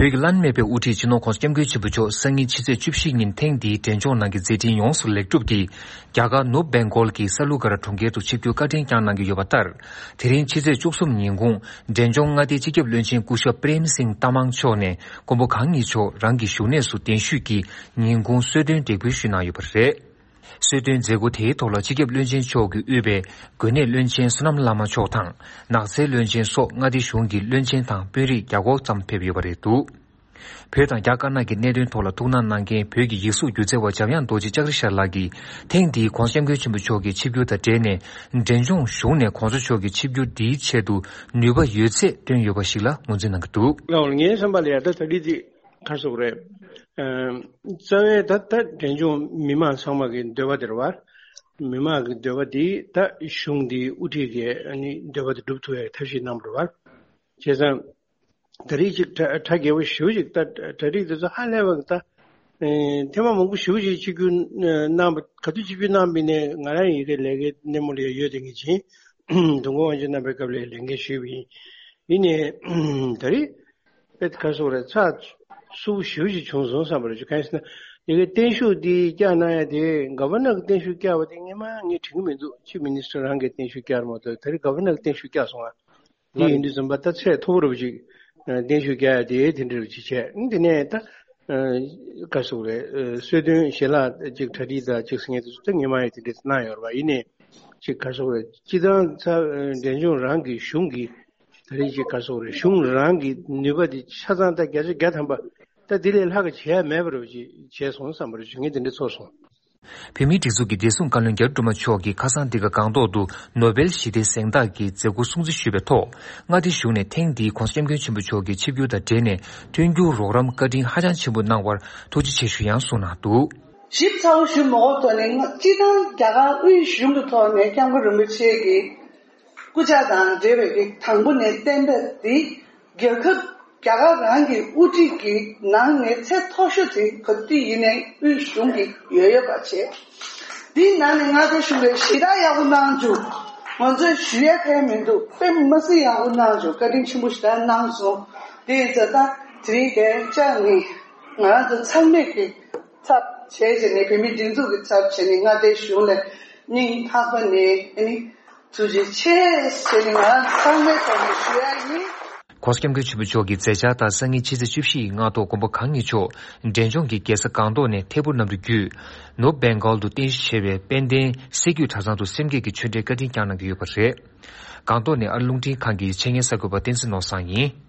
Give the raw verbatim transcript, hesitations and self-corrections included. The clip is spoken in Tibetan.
བོད་ཀྱི་བླ་ན་མེད་པའི་དབུ་ཁྲིད་སྤྱི་ནོར་༧གོང་ས་༧སྐྱབས་མགོན་ཆེན་པོ་མཆོག་སང་ཉིན་ཕྱི་ཚེས་བཅུ་བཞི་ཉིན་ཐེངས་འདིའི་འབྲས་ལྗོངས་ནང་གི་མཛད་འཕྲིན་ཡོངས་སུ་ལེགས་གྲུབ་ཀྱིས། རྒྱ་གར་ནུབ་བེང་གོལ་གྱི་ས་ལུ་ག་ར་གྲོང་ཁྱེར་དུ་ཆིབས་བསྒྱུར་བཀའ་དྲིན་བསྐྱངས་གནང་གི་ཡོད་པ་ལྟར། དེ་རིང་ཕྱི་ཚེས་བཅུ་གསུམ་ཉིན་གུང་འབྲས་ལྗོངས་མངའ་སྡེའི་སྤྱི་ཁྱབ་བློན་ཆེན་སྐུ་ཞབས་པྲེམ་སིང་ཏ་མང་མཆོག་ནས་མགོན་པོ་གང་ཉིད་མཆོག་རང་གི་བཞུགས་གནས་སུ་གདན་ཞུས་ཀྱིས་ཉིན་གུང་གསོལ་སྟོན་འདེགས་འབུལ་ཞུས་གནང་ཡོད་པ་རེད། གསོལ་སྟོན་མཛད་སྒོ་དེའི་ཐོག་ལ་སྤྱི་ཁྱབ་བློན་ཆེན་མཆོག་གིས་དབུས་པའི་དགོན་གནས་བློན་ཆེན་བསོད་ནམས་བླ་མ་མཆོག་དང་ནགས་ཚལ་བློན་ཆེན་སོགས་མངའ་སྡེ་གཞུང་གི་བློན་ཆེན་དང་དཔོན་རིགས་བརྒྱ་སྐོར་ཙམ་ཕེབས་ཡོད་པ་རེད་འདུག་བོད་དང་རྒྱ་དཀར་ནག་གི་གནད་དོན་ཐོག་ལ་ཐུགས་སྣང་གནང་མཁན་བོད་ཀྱི་ཡིག་གཟུགས་སྒྱུ་རྩལ་བ་འཇམ་དབྱངས་རྡོ་རྗེ་ལྕགས་རི་ཤར་ལགས་ཀྱིས་ཐེངས་འདིའི་༧གོང་ས་༧སྐྱབས་མགོན་ཆེན་པོ་མཆོག་གི་ཆིབས་བསྒྱུར་དང་འབྲེལ་ནས་འབྲས་ལྗོངས་གཞུང་ནས་༧གོང་ས་མཆོག་གི་ཆིབས་བསྒྱུར་འདིའི་ཆེད་དུ་ནུས་པ་ཡོད་ཚད་བཏོན་ཡོད་པ་ཞིག་ལ་ངོས་འཛིན་གནང་གི་འདུག་ལགས་ངའི་བསམ་པ་ལ་ཡ་ད་ད་ལི་ཅིག་ག་རེ་ཟེར་དགོས་རེད། ཨ། རྩ་བའི་ད་ད་འབྲས་ལྗོངས་མི་མང་ཚང་མ་གི་འདོད་པ་དེ་རེད་བ། མི་མང་གི་འདོད་པ་དེ་ད་གཞུང་འདིའི་དབུ་ཁྲིད་ཀྱི་ཨ་ནི་འདོད་པ་དེ་སྒྲུབ་ཐུབ་ཡའི་ཐབས་ཤེས་གནང་བ་རེད་བ། བྱས་ཙང་། ད་རེས་ཅིག་གྲ་གྲ་རྒྱས་པོ་ཞེ་པོ་ཅིག་ད་གྲ་སྒྲིག་དེ་ཚོ་ཧ་ལས་པ་ད། ཨེ། ཐེངས་མ་མང་པོ་ཞེ་པོ་ཅིག་ཆིབས་བསྒྱུར་གནང་བ་ག་དུས་ཆིབས་བསྒྱུར་གནང་བ་ཡིན་ནའི་ང་རང་ཡི་གེ་ལས་ཀའི་སྣེ་མོ་ལ་ཡོད་དེ་ངས་བྱིན། དུས་འཁོར་དབང་ཕྱུག་རྣམ་པའི་སྐབས་ལ་ལས་འགན་ཞུས་པ་ཡིན། ཡིན་ནའི་ད་རེས་དཔེ་ག་རེ་ཟེར་དགོས་རེད། ཚགས་ཚུད་པོ་ཞེ་པོ་ཅིག་བྱུང་སོང་བསམ་པ་རེད། གང་ཡིན་ཟེར་ན་ཡི་གེ་བརྟན་བཞུགས་འདི་བསྐྱངས་གནང་ཡ་དེ་ག་བར་ནར་གྱི་བརྟན་བཞུགས་བསྐྱངས་པ་དེ་སྔོན་མ་ངས་དྲན་གྱི་མི་འདུག་ཆིབ་མི་ནི་སི་ཊར་རང་གིས་བརྟན་བཞུགས་བསྐྱངས་རེད་མ་གཏོགས་ད་རེས་ག་བར་ནར་གྱི་བརྟན་བཞུགས་བསྐྱངས་སོང་ང་། འདི་ཡིན་དུས་ཙམ་པ་ད་ཚད་མཐོ་པོ་རུ་ཅིག་བརྟན་བཞུགས་རྒྱག་ཡ་དེ་དེ་འདྲ་རུ་ཅིག་བྱས། འདི་ནས་ད་ག་རེ་ཟེར་དགོས་རེད། གསོལ་སྟོན་ཞལ་ལག་ཅིག་གྲ་སྒྲིག་དང་ཅིག་ཟེར་མཁན་དེ་ཚོ་ད་སྔོན་མ་ཡང་དེ་འདྲ་གནང་ཡོད་རེད་བ། ཡིན་ནའི་ཅིག་ག་རེ་ཟེར་དགོས་རེད། སྤྱི་བཏང་ཚ་འབྲས་ལྗོངས་རང་གི་གཞུང་གི་ད་རེས་ཅིག་ག་རེ་ཟེར་དགོས་རེད། གཞུང་རང་གི་ནུས་པ་དེ་ཆ་ཚང་ད་བརྒྱ་ཆ་བརྒྱ་ཐམ་པ་ད་དེ་ལས་ལྷག་ག་བྱས་ཡ་མེད་པ་རུ་ཅིག་བྱས་སོང་བསམ་པ་རུ་ཅིག་ངས་དེ་འདྲ་ཚོར་སོང་། བོད་མིའི་སྒྲིག་འཛུགས་ཀྱི་བདེ་སྲུང་བཀའ་བློན་རྒྱ་རི་སྒྲོལ་མ་མཆོག་གིས་ཁ་སང་འདི་ག་སྒང་ཏོག་ཏུ་ནོ་སྦེལ་ཞི་བདེའི་གཟེངས་རྟགས་ཀྱི་མཛད་སྒོ་སྲུང་བརྩི་ཞུས་པའི་ཐོག་མངའ་སྡེ་གཞུང་ནས་ཐེངས་འདིའི་༧གོང་ས་༧སྐྱབས་མགོན་ཆེན་པོ་མཆོག་གི་ཆིབས་བསྒྱུར་དང་འབྲེལ་ནས་མཐུན་འགྱུར་རོགས་རམ་བཀའ་དྲིན་ཧ་ཅང་ཆེན་པོ་གནང་བར་ཐུགས་རྗེ་ཆེ་ཞུ་ཡང་གསུངས་གནང་འདུག་ཞིབ་ཚགས་པོ་ཞུ་མ་དགོས་ཐོག་ནས་སྤྱི་བཏང་རྒྱ་གར་དབུས་གཞུང་གི་ཐོག་ནས་༧སྐྱབས་མགོན་རིན་པོ་ཆེ་གི་སྐུ་ཕྱྭ་དང་འབྲེལ་བའི་གི་དང་པོ་ནས་གཏན་འབེབས་འདི། རྒྱལ་ཁབ་རྒྱ་གར་རང་གི་དབུ་ཁྲིད་ཀྱི་ནང་ནས་ཚད་མཐོ་ཤོས་དེ་ག་དུས་ཡིན་ནའི་དབུས་གཞུང་གི་ཡོད་ཡོད་པ་བྱས། འདིའི་ནང་ནས་མངའ་སྡེ་གཞུང་གིས་ཞེ་དྲག་ཡག་པོ་གནང་བྱུང་། ང་ཚོས་ཞུ་ཡ་གང་ཡང་མི་འདུག་དཔེ་མི་སྲིད་ཡག་པོ་གནང་བྱུང་། བཀའ་དྲིན་ཆེན་པོ་ཞེ་དྲག་གནང་སོང་། དེ་ཡིན་ཙང་ད་དེ་རིང་གའི་ལྕགས་ནི་ང་རང་ཚོ་ཚང་མས་ཀྱི་ཚབ་བྱས་བྱས་ནས་བོད་མིའི་སྒྲིག་འཛུགས་ཀྱི་ཚབ་བྱས་ནས་མངའ་སྡེ་གཞུང་ལ་སྙིང་ཐག་པ་ནས་ཨ་ནི། ཐུགས་རྗེ་ཆེ་ཟེར་ནས་ང་ཚང་མའི་ཐོག་ནས་ཞུ་ཡ་ཡིན། ༸གོང་ས་༸སྐྱབས་མགོན་ཆེན་པོ་མཆོག་གི་མཛད་འཆར་ལྟར་སང་ཉིན་ཕྱི་ཚེས་བཅུ་བཞི་ཡི་སྔ་དྲོ་མགོན་པོ་གང་ཉིད་མཆོག་འབྲས་ལྗོངས་ཀྱི་རྒྱལ་ས་སྒང་ཏོག་ནས་ཐད་འཕུར་གནམ་གྲུ་བརྒྱུད། ནོར་ཝེ་གྷལ་དུ་རྟེན་གཞི་བྱས་པའི་དཔལ་ལྡན་སྲད་རྒྱུད་གྲྭ་ཚང་དུ་སེམས་བསྐྱེད་ཀྱི་ཆོས་འབྲེལ་བཀའ་དྲིན་བསྐྱངས་གནང་གི་ཡོད་པ་རེད། སྒང་ཏོག་ནས་ཨ་རི་རླུང་འཕྲིན་ཁང་གི་ཆེད་གཉེར་གསར་འགོད་པ་བསྟན་འཛིན་ནོར་བཟང་ཡིན།